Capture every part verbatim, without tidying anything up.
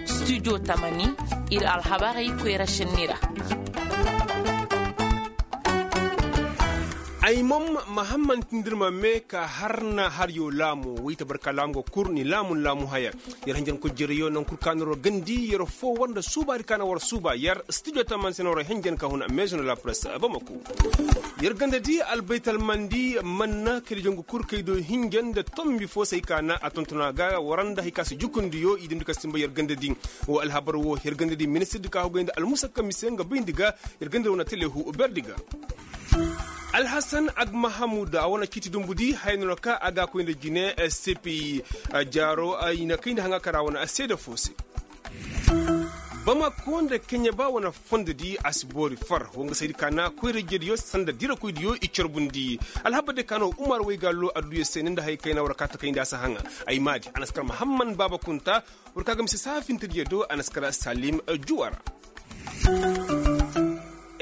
Studio tamani, ir alhabarey koyra šenni ra. Ay mom mahamman tindirma me ka har na har yo laamu wayta barka laamu ga kur ni laamu ni laamu haya. Yer hanjankoy jereyoo naŋ kul ka na war gandi yer foo war nda suubaadi ka na war suuba yer studio tamani se na war hanjan ka huna meezo na la press bamako. Yer ganda di albaytal mandi manna kayda jangu kul kaydo hinja nda tombi foo se hay ka na a tontona ga war nda hay ka si jukundi yo i dimdi ka simba yer ganda di. Woo alhabar woo yer ganda di ministir di ka hogay nda almusakka mise nga bayndi ga. Yer ganda woo na telehu berdi ga. Alhasan agmahamud a wane ciiti dumbu di haya no na ka a ga a koy nda jine cpi. Jaaro i na kayndi haŋa kara wane seede foo se. Bamako nda keɲeba wane fondo di a si boori far wo nga saydi ka na koyra-ijediyo sanda dirakoydiyo i carbundi. Alhabar de ka no umar waygaalo adduya se ni nda haya kayna war ka takayndi a si haŋa. Ay maadi a na si kar mahamman baaba kunta. War ka ga mise saafintediyo do a na si kar salim juwara.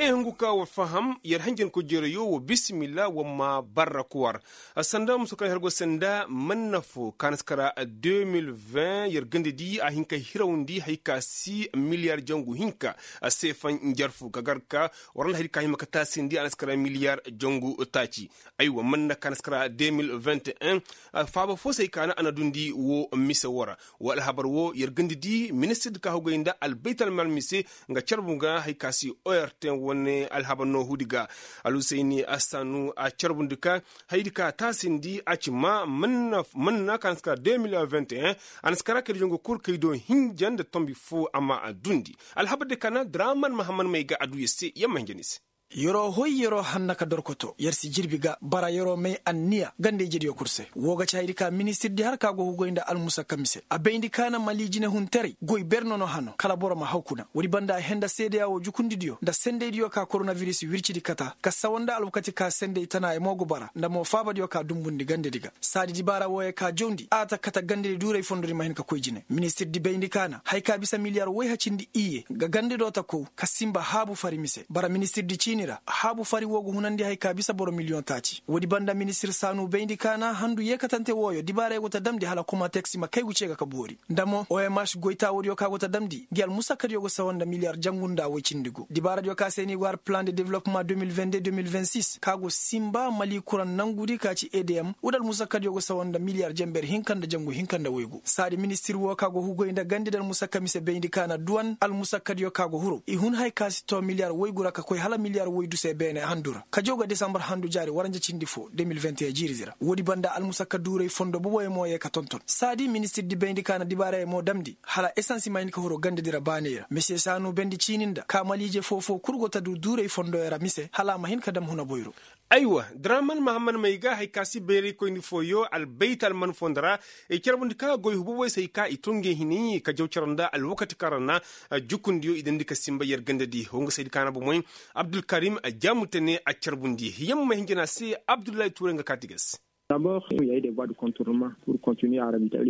Ee hungu ka war faham yer hanjankoy jereyo wa bisimilla war ma barra kuwar. Sanda musu kaŋ yer go sanda manna fo ka na si kara deux mille vingt yer ganda di a hin ka hirawndi hay ka si miliyar jangu hinka. Seefaŋ njarfu ka gar ka war nda hay ka hima ka taasindi a na si kara miliyar jangu taaci. Aywa manna ka na si kara deux mille vingt et un. Faaba fo se hay ka na a na dundi wo mise wo ra. Wa alhabar wo yer ganda di ministir di ka hogay nda albaytal mal mise nga carbu ga hay ka si ort wane alhabar no huudi ga. Alhusayni assanu a carbundi ka haydi ka taasindi a ci ma manna ka na si kara deux mille vingt et un. A na si kara kayda jangu kul kaydo hinja nda tombi fo amma a dundi. Alhabar di ka na draman mahamman may ga adduya se yamma hinja ni se. Yer'o hoy yer'o hanna ka dorkoto yer si jirbi ga bara yer'o may anniya ganda-ijediyo kul se. Woo ga ci hayadi ka ministir di har ka go hugay nda almusakka mise a bayndi ka na mali jinehuntaray goy ber nono hano kala boro ma haw kuna woodi banda a henda seedeya woo jukundidiyo nda sendaydiyo ka koronabiris wircidi kata ka sawa nda alwakati ka senday tana ay mo go bara nda mo faabadiyo ka dumbundi gandedi ga. Saadi dibaara wooyo ka jawndi a ta kata gandedi duuray fondodi ma hin ka koy jine ministir di bayndi ka na haya ka bisa miliyar woy hacindi iyye ga gandedoo ta kow ka sinba haabu fari mise bara ministirdi ciini ra haabu fari woo ga hunandi haya ka bisa boro miliyoŋ taaci woodi banda ministir saanu bayndi ka na handu yeekatante wooyo dibaarey go ta damndi hala komateksi ma kaygu cee ga ka boori nda mo oms goytaawodiyo ka go ta damndi ngi almusakkadiyo go sawa nda miliyar jangu nda woy cindi gu dibaaradiyo ka se ni go har plan de development deux mille vingt deux deux mille vingt six ka go sinba mali kuraŋ nangudi ka ci edm woodi almusakkadiyo go sawa nda miliyar jenber hinka nda jangu hinka nda woygu saadi ministir woo ka go hugoy nda gandi nda almusakka mise bayndi ka na duwan almusakkadiyo ka go huru i hun haya ka si too miliyar woygu ra ka koy hala miliyar woydu se beene handu ra ka jaw ga desambar handu jaari waranja cindi foo deux mille vingt et un jiiridi ra woodi banda almusakka duuray fondo boboyo mo yee ka tonton saadi ministirdi bayndi ka na dibaarayo mo damndi hala esans ma hin ka huru gandedi ra baaney ra mise saanu bendi ciini nda ka maliije foo-foo kul go ta du duuray fondoyo ra mise hala a ma hin ka dam huna boyro. Aywa draman mahamman may ga hay ka si bayraykoyni fooyo albayt alman fondo ra i carbundi ka goy hububoy se hay ka i to ngey hinay ka jaw cere nda alwakati kaŋ ra na jukundiyo i dandi ka sinba yer gandadi honga saydi ka na bomoy abdulkarim jaamutane a carbundi yamma hinjina se abdullahi tuuray nga kaati ga se.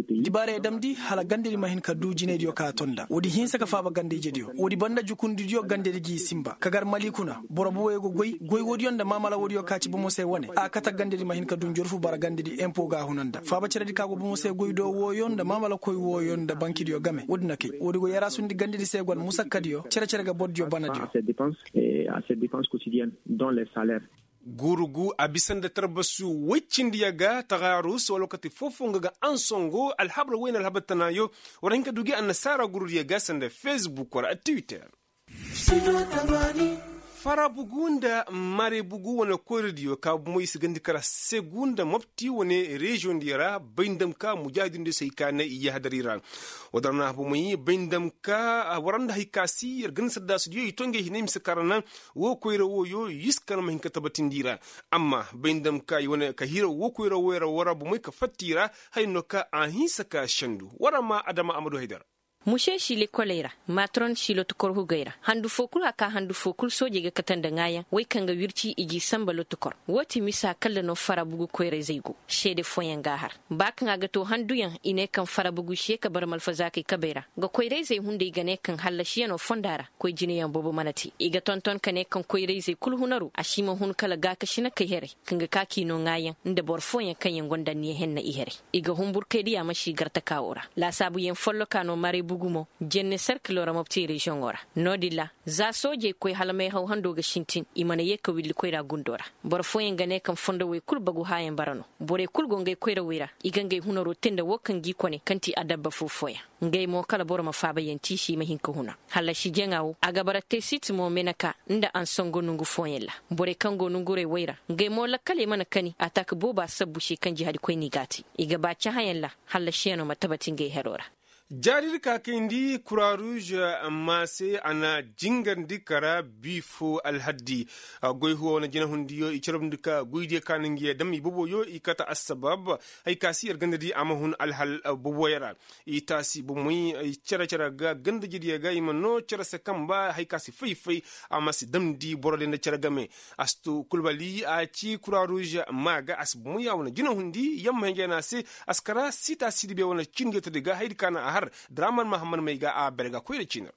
Dibaarey damndi hala gandedi ma hin ka duu jinaydiyo ka a to nda woodi hinsa ka faaba ganda-ijediyo woodi banda jukundidiyo gandedi g'i sinba ka gar mali kuna boro boboyo ga goy goy woodiyo nda maamala woodiyo ka ci bomo se wane a kate gandedi ma hin ka duu njorfu bara gandedi empo ga a huna nda faaba ceredi ka go bomo se goy do wooyo nda maamalakoy wooyo nda bankidiyo game woodi na kay woodi go yaraasundi gandedi se go almusakkadiyo cere-cere ga bordiyo banadiyo. Guuru gu a bisa nda tarbasu woy cindiya ga taxaarus wala kati foo-foo nga ga ansongo alhabar woy nda alhabar tanaayo war hin ka du gi annasaara guurudiyo ga sanda facebook wala twitter. Farabugu nda marebugu wane koyradiyo ka bomo i si gandi kara segu nda mopti wane reziyoŋdiyo ra bay nda ma ka mujaahidindiyo si hay ka ne i yahadari ra. Woo da ra na bomoy bay nda ma ka war nda hay ka si yer ganda saddaasudiyo i to ngey hinay mise ka ra na woo koyra wooyo i si kar ma hin ka tabatindi i ra. Amma bay nda ma ka i wane ka hira woo koyra wooyo ra war ra bomoy ka fatta i ra haya no ka a hinsa ka sendu war ra ma adama amadu haydar. Muse si lekoley ra, matron si lotukor hugey ra, handu foo kul haka handu foo kul soojey ga kate nda ŋaayaŋ wey kaŋ ga wirci i g'i sanba lotukor. Woo ti misa kalla no farabugu koyrayzey go. Seede fooyaŋ g'a har, ba kaŋ a ga too handuyaŋ i ne kaŋ farabugu si ye ka bara malfazaakey kabey ra, nga koyrayzey hunday ga ne kaŋ hallasiyanoo fonda ra. Koy jineyaŋ boobo mana te i ga tonton ka ne kaŋ koyrayzey kul hunaru a si ma hun kala gaakasinakey herey, kaŋ ga ka k'i noo ŋaayaŋ nda boro fooyaŋ kaŋyaŋ gonda anniya henna i herey. I ga hunbur kay diya ma si gartakaawoo ra. Laasaabuyaŋ follokaa no maray bugu mo, jenne serkiloo ra mopti reziyoŋoo ra. No-din ra, za soojey koy hala mayhaw handoo ga sintin i mana yee ka willi koyra gundoo ra. Boro fooyaŋ ga ne kaŋ fondowey kul bagu haayaŋ bara no. Borey kul go ngey koyrawey ra, i ga ngey hunaroo tee nda woo kaŋ g'i kone kaŋ ti adabba foo fooyaŋ. Ngey mo kala boro ma faabayaŋ tiisi i ma hin ka huna. Hallasi jaŋa woo a ga bara teesit mo meneka, nda ansongo nongu fooyaŋ ra. Borey kaŋ go nongurey wey ra, ngey mo lakkaley mana kani ataak booba sabbu se kaŋ jihadikoyney g'a te. I ga ba cahãyaŋ ra, hallasiyanoo ma tabati ngey heroo ra. Jaadidi ka kayndi kura ruuz, ma se a na jingarndi kara bii foo alhaddi. Goy huwa wane jinahundiyo i carabndi ka goydiyo ka na ngi ye dam i boboyo i kate assabab, haya ka si yer gandadi a ma hun alhal boboyo ra. I taasi bomey, cere cere ga gandajediyo ga i ma noo cere se kamba haya ka si fay-fay, a ma si damndi borodiyo nda cere game. A si too kulbali a ci kura ruuz, maa ga a si bomey a wane jinahundi yamma hinjay no a se. A si kara siita sidibe wane cindiyo tadi ga hayadi ka na a har. Draman mahammad may ga a bere ga koyra ciini ra.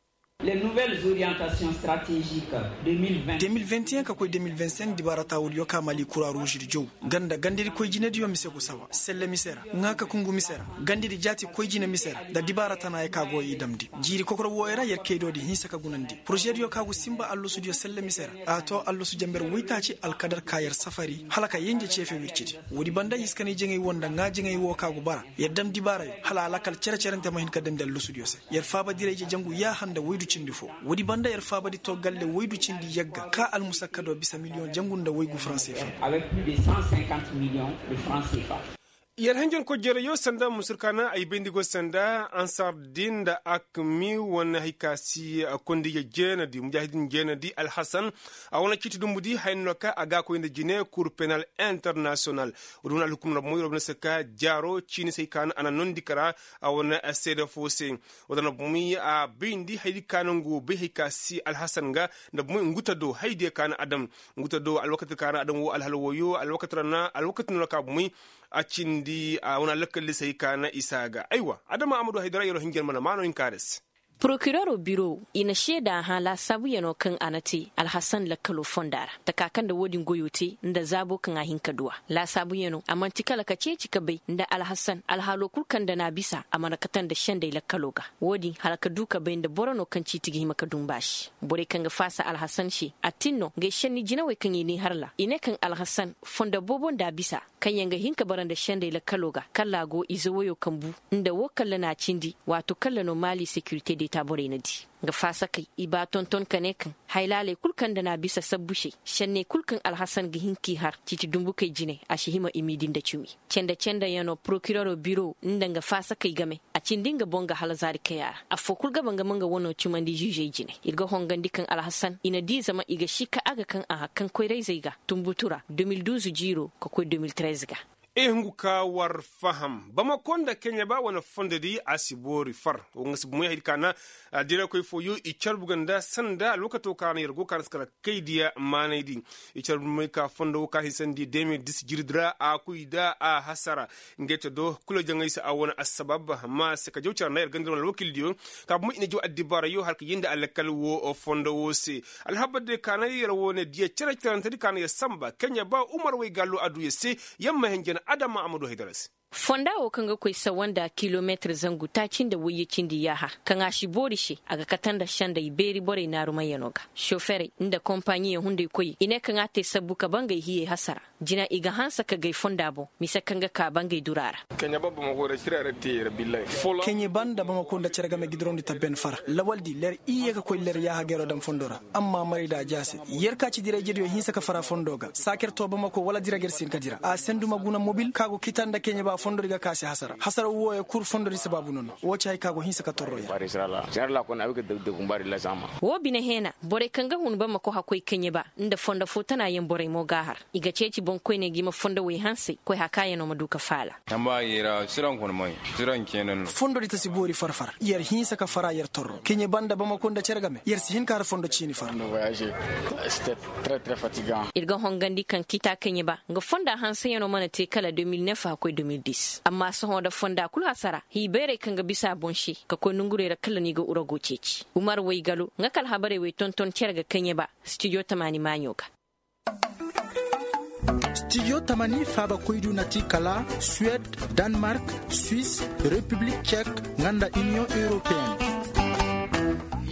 Deux mille vingt et un ka koy deux mille vingt cinq dibaara taawudiyo ka mali kura ruuzidi jow, ganda gandadi koy jinediyo mise gu saba selle mise ra, ŋaa ka kungu mise ra, gandadi jaati koy jine mise ra, nda dibaara tanaayo ka go i damndi. Jiiri kokoro wooyo ra yer kaydoodi hinsa ka gunandi porozediyo ka gu sinba allasudiyo selle mise ra. A too allasu jenber woytaaci alkadar ka yer safari hala ka yenje ceefe wircidi. Woodi banda hiskanay jaŋay woo nda ŋaa jaŋay woo ka gu bara, yer dam dibaarayo hala a lakal cere-cerante ma hin ka damndi allasudiyo se. Yer faaba dirayje jangu yaaha nda woydu cindi foo. Woodi banda yer faabadi too galle woydu cindi yagga ka almusakkadoo bisa miliyoŋ jangu nda woygu faranse fa. Yer hanjankoy jereyo sanda musur ka na ay bayndi go sanda ansardin nda akmi wane hay ka si, kondije jeenadi mujaahidin jeenadi alhasan. A wane ciiti dumbudi haya no ka a ga a koy nda jine kur penal internasiyonal. Woodi wane alhukum na bomo yer wo bine se ka jaaro ciini se hay ka na a na noondi kara. A wane seede foo se. Woodi na bomo a bayndi hayadi ka na nga wo bay hay ka si alhasan ga nda bomo nguta do hayadiyo ka na a daŋ. Nguta do alwakati ka na a daŋ wo alhala wooyo alwakati ra na alwakati no na ka bomo. A cindi a wane alakkalli se hay ka na isa ga aywa adama amadu haydara yero hinjir mana maano hinka da se. Porokiroro biro i na seeda hã laasaabuyanoo kaŋ a na te alhasan lakkaloo fonda ra, taka kaŋ nda woodin goyoo te nda zaaboo kaŋ a hin ka du a. Laasaabuyanoo a man'ti kala ka ceeci ka bay nda alhasan alhaloo kul kaŋ nda n'a bisa a mana kate nda sendey lakkaloo ga. Woodin hala ka du ka bay nda boro no kaŋ ciiti ga hima ka dumba se. Borey kaŋ ga faasa alhasan se a tin no ngey senni jinawey kaŋ i n'i har ra i ne kaŋ alhasan fondo boobo nda a bisa, kaŋyaŋ ga hin ka bara nda sendey lakkaloo ga kalla a go ize woyoo kaŋ bu. Nda woo kalla n'a cindi, waato kalla no maali sekirite deeta borey na di. Nga faasakey i baa tonton ka ne kaŋ haylaaley kul kaŋ nda n'a bisa sabbu se, senney kul kaŋ alhasan ga hin k'i har ciiti dumbukey jine a si hima i m'i di nda cumi. Cende-cende yaŋ no porokiroro biro nda nga faasakey game. A cindi nga boŋ ga hala zaari kay a ra. Affoo kul ga ba nga ma nga wanoo cumandi ziizey jine. Ir ga hongandi kaŋ alhasan i na di zama i ga si ka a ga kaŋ a har kaŋ koyrayzey ga, tunbutu ra deux mille douze jiiroo ka koy deux mille treize ga. Ee hungu ka war faham bamako nda keɲeba wane fondodi a si boori far. Wo nga si bomoy haydi ka na. Direkoy fooyo i carbu ga nda sanda alwakato ka na yer go ka na si kala kaydiya maanaydi. I carbu moy ka fondo wo ka hinsandi deux mille dix jiridi ra a koy da a hasara. Ngey te do kula jaŋay se a wane assabab. Amma se ka jaw care na yer ganda wane alwakildiyo ka bomoy i na jaw addibaarayo hala ka yindi alakkal wo fondo wo se. Alhabar de ka na yer wane diya care carantedi ka na yer samba keɲeba umar way gallo aduya se. Yamma henjen adama amadu haydara se. Fonda wo kaŋ ga koy sawa nda kilometir zangu taaci nda wayye cindi yaaha, kaŋ a si boori se a ga kate nda sendey beeri borey naarumayyano ga. Soferey nda kompaɲiyaŋ hunday koyey i ne kaŋ a te sabbu ka bangey hiyey hasara. Jina i ga hanse ka gay fonda boŋ mise kaŋ ga ka bangey dura ra. Keɲe banda bamako nda cere game ga i diraw nda tabben fara lawaldi ler iyye ka koy ler yaaha gayro daŋ fondo ra. Amma maray da a jaase yer ka ci dirayjediyo hinse ka fara fondo ga saaker to bamako wala dirager si hin ka dira a sendu ma guna mobil ka go kita nda keɲe ba. Fondodi ga ka a si hasara hasara wooyo kul fondodi sabaabu no no. Woo ci hari ka go hinsa ka torro ya. Woo bine heena borey kaŋ ga hun bamako hakkoy kaɲe ba nda fondo fo tana yaŋ borey mo g'a har. I ga ceeci boŋkoyney ga i ma fondo wey hansey koy hakaayanoo ma du ka faala. Fondodi ta si boori far-far yer hinsa ka fara yer torro kaɲe ba nda bamako nda cere game yer si hin ka har fondo ciini far. Ir ga hongandi kaŋ kita kaɲe ba nga fonda hanseyanoo mana te kala de mil nef a koy de mil dis amma sohõ nda fonda kul hasara hii bayrey kaŋ ga bisa a boŋ se ka koy nongurey ra kala no i ga urago ceeci umar waygalo nga ka alhabarey wey tonton cere ga kaɲe ba. Stijo tamaani maaɲo ga. Stijo tamaani faabakoydu na ti kala suwed, danmark, swis, repiblik cek, nga nda iniyoŋ europeen.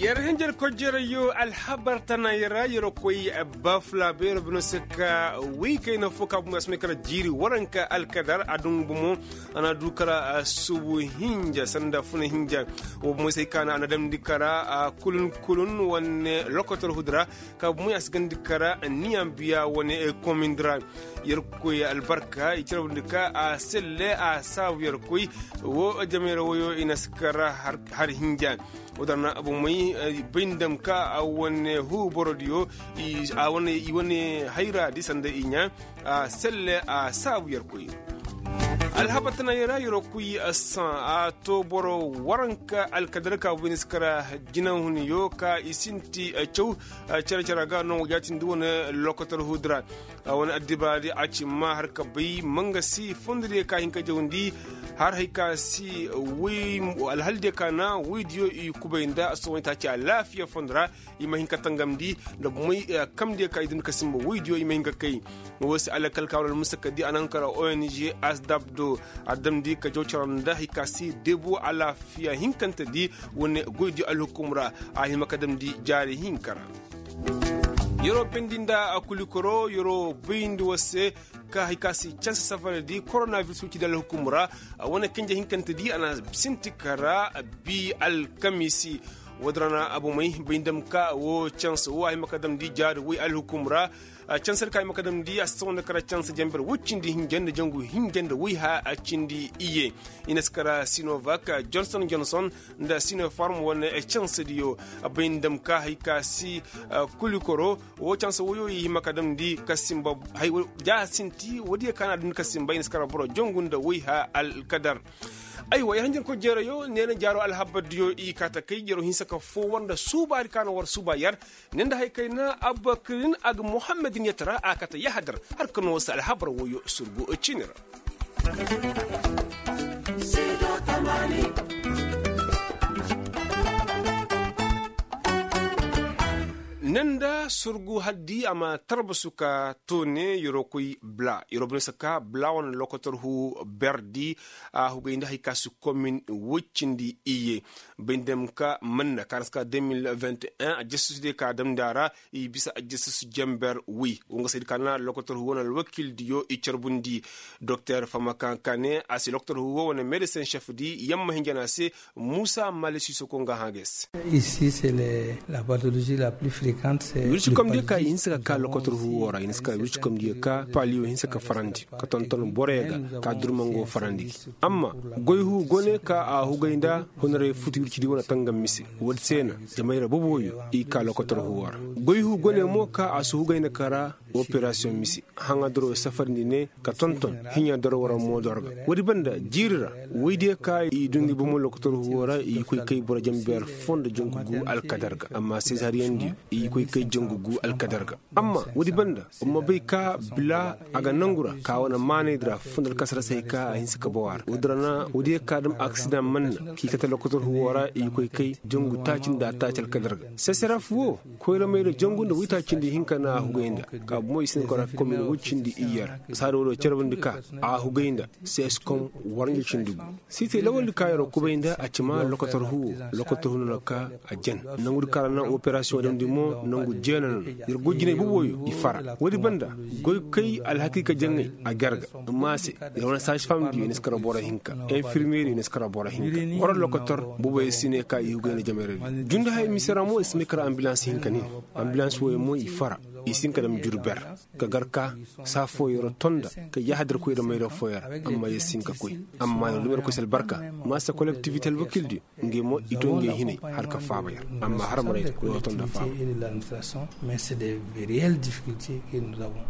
Yer hinjir kojjerayo alhabar tana yer ra yer koy bafula beero bino se ka wi kayna fo ka bumey a si may kala jiiri waranka alkadar a dungu bomo. A na du kala subu hinja sanda funa hinja wo bumey se ka na a na damndi kala kulun kulun wane lokotor hudura ka bumey a si gandi kala niyan biya wane komindi ra. Yer koy albarka i carabndi ka a selle a saabu yer koy wo jamayra woyo i na si kala har hinja. Wo dana bomey bay nda ma ka a wane huu borodiyo i wane hayra di sanda i ɲaa a selle a saabu yer koy. Alhabar tana yer ra yer koy saŋ a to boro waranka alkadar ka bumey na si kala jinahuniyo ka i sinti caw cere-cere ga no wa jaatindi wane lokotor hudura. Wane addibaadi a ci ma har ka bay mangasi fondodiyo ka hin ka jawndi har hay ka si alhaldiyo ka na woydiyo i kubay nda sohõ i taaci alaafiya fondo ra. I ma hin ka tangamndi nda bomey kamdiyo ka i dundi ka sinba woydiyo i ma hin ka kay. Wo se alakal ka war almusaka di a na hin ka ra ong asdab do a damndi ka jaw cere nda hay ka si debu alaafiya hinkante di wane goydiyo alhukum ra a hima ka damndi jaari hinka ra. Yeroo bindi nda kulikoro yeroo bayndi war se ka hay ka si canse safara di koronabiris wicidi alhukum ra. Wane kinja hinkante di a na sinti kara bi alkamiisi. Woodin ra na abomey bay nda ma ka wo canse wo a hima ka damndi jaari woy alhukum ra. Canse di ka hima ka damndi a si sohõ nda kara canse janber woy cindi hinja nda jangu hinja nda woy ha cindi iyye. I na si kara sinovak, jonson jonson nda sinofarm wane cansediyo. Bay nda ma ka hay ka si kulikoro wo canse woyo i hima ka damndi ka sinba. Hay ja sinti woodiyo ka na a dundi ka sinba i na si kara boro jongu nda woy ha alkadar. Aywa yer hanjarkoy jeerayo neena jaaro alhabardiyo i kaa ta kay jero hinsa ka foo war nda suubaadi ka na war suuba yer. Ne nda hay kayna abakirin a ga muhammadin yatara a kate yahadar. Har ka no wasa alhabar woyo surgu ciini ra. Ne nda surgu haddi a ma tarbasu ka toone yeroo koy bla yeroo bine saka bla wane lokotor hu berdi. A hugay nda hay ka si komin woy cindi iyye. Bay nda ma ka manna ka na si ka deux mille vingt et un a jasusu diyo ka damndi a ra. I bisa a jasusu janber woy wo nga saydi ka na lokotor hu wane alwakildiyo i carbundi. Doktor fama kankane a si lokotor hu wo wane medesin šef di yamma hinja na a se. Muusa mali siisoko nga hã ga ay se. Wircikomdiyo ka i hinsa ka kaa lokotor hu wo ra i na si ka wircikomdiyo ka paliyo hinsa ka farandi ka tonton boroyo ga ka durmango farandi gi. Amma goy hu go ne ka a hugay nda hunarey futu wircidi wane tangam mise. Woodi se na jamayra boboyo i kaa lokotor hu wo ra. Goy hu go ne mo ka a si hugay nda kara operasiyoŋ mise. Haŋadaro safarndi ne ka tonton hiɲadaro wara moodor ga. Woodi banda jiiri ra woydiyo ka i dundi bomo lokotor huwo ra i koy kay boro janber foo nda jangu gu alkadar ga amma sezariyaŋdiyo i koy kay jangu gu alkadar ga. Amma woodi banda wa ma bay ka bila a ga nangu ra ka wane maanaydi ra foo nda alkasarasey ka a hinsa ka baw a ra woodi ra na woodiyo ka dam aksidaŋ manna k'i kate lokotor huwo ra i koy kay jangu taaci nda taaci alkadar ga sesaraf wo. Koyramey ra jangu nda woytaacindi hinka na a hugay nda. Ka bomo i si ne kora komin woy cindi iyye ra saada wo do carbundi ka a hugay nda. Seskom waranja cindi gu. Siitey lawaldi ka yer kubay nda a cima lokotor huwo. Lokotor huwo no na ka a jen. Nangudi ka ra na operasiyoŋ damndi mo nangu jeena no na yer goy jinay boboyo i fara woodi banda. Goykay alhakiika jaŋay a ger ga. Amma a se yer wane saasi famdiyo i na si kara boro hinka. Infirmeeriyo i na si kara boro hinka. Koro lokotor boboyo si ne ka i hugay nda jamayra di jundi haya mise ra mo i si may kara ambilans hinka nin. Ambilans woyo mo i fara. I si hin ka dam jur ber ka gar ka saa fooyoo ra tonda ka yahadar koy ra mayra fooyoo ra. Amma yer si hin ka koy. Amma yer dum yer koy si albarka. Maasa kolektivite alwakildiyo ngey mo i to ngey hinay har ka faaba yer. Amma har maray ra yer tonda faaba. Mais c'est des réelles difficultés que nous avons.